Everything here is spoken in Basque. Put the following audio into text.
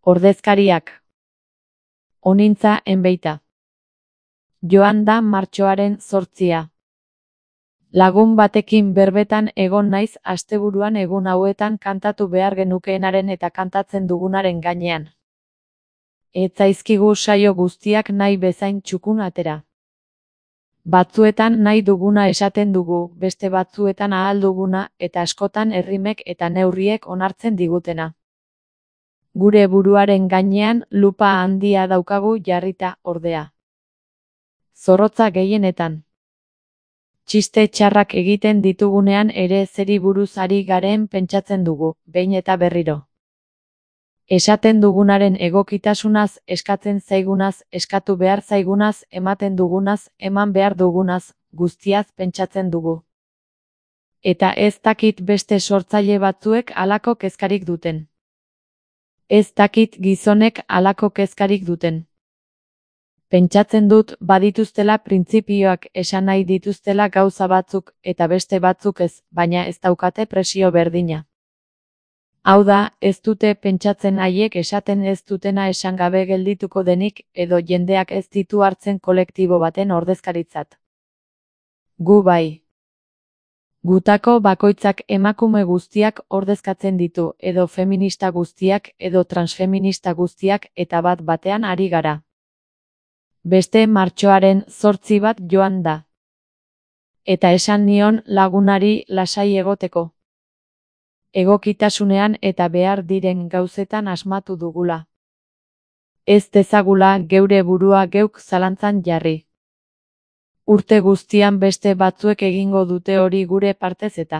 Ordezkariak. Onintza enbeita. Joan da martxoaren 8. Lagun batekin berbetan egon naiz asteburuan egun hauetan kantatu behar genukeenaren eta kantatzen dugunaren gainean. Ez zaizkigu saio guztiak nahi bezain txukun atera. Batzuetan nahi duguna esaten dugu, beste batzuetan ahal duguna eta askotan errimek eta neurriek onartzen digutena. Gure buruaren gainean lupa handia daukagu jarrita, ordea. Zorrotza gehienetan. Txiste txarrak egiten ditugunean ere zeri buruz ari garen pentsatzen dugu, behin eta berriro. Esaten dugunaren egokitasunaz, eskatzen zaigunaz, eskatu behar zaigunaz, ematen dugunaz, eman behar dugunaz, guztiaz pentsatzen dugu. Eta ez dakit beste sortzaile batzuek halako kezkarik duten. Ez dakit gizonek halako kezkarik duten. Pentsatzen dut badituztela printzipioak esan nahi dituztela gauza batzuk eta beste batzuk ez, baina ez daukate presio berdina. Hau da, ez dute pentsatzen haiek esaten ez dutena esan gabe geldituko denik edo jendeak ez ditu hartzen kolektibo baten ordezkaritzat. Gu bai. Gutako bakoitzak emakume guztiak ordezkatzen ditu edo feminista guztiak edo transfeminista guztiak eta bat batean ari gara. Beste martxoaren 8 bat joan da. Eta esan nion lagunari lasai egoteko. Egokitasunean eta behar diren gauzetan asmatu dugula. Ez dezagula geure burua geuk zalantzan jarri. Urte guztian beste batzuek egingo dute hori gure partez eta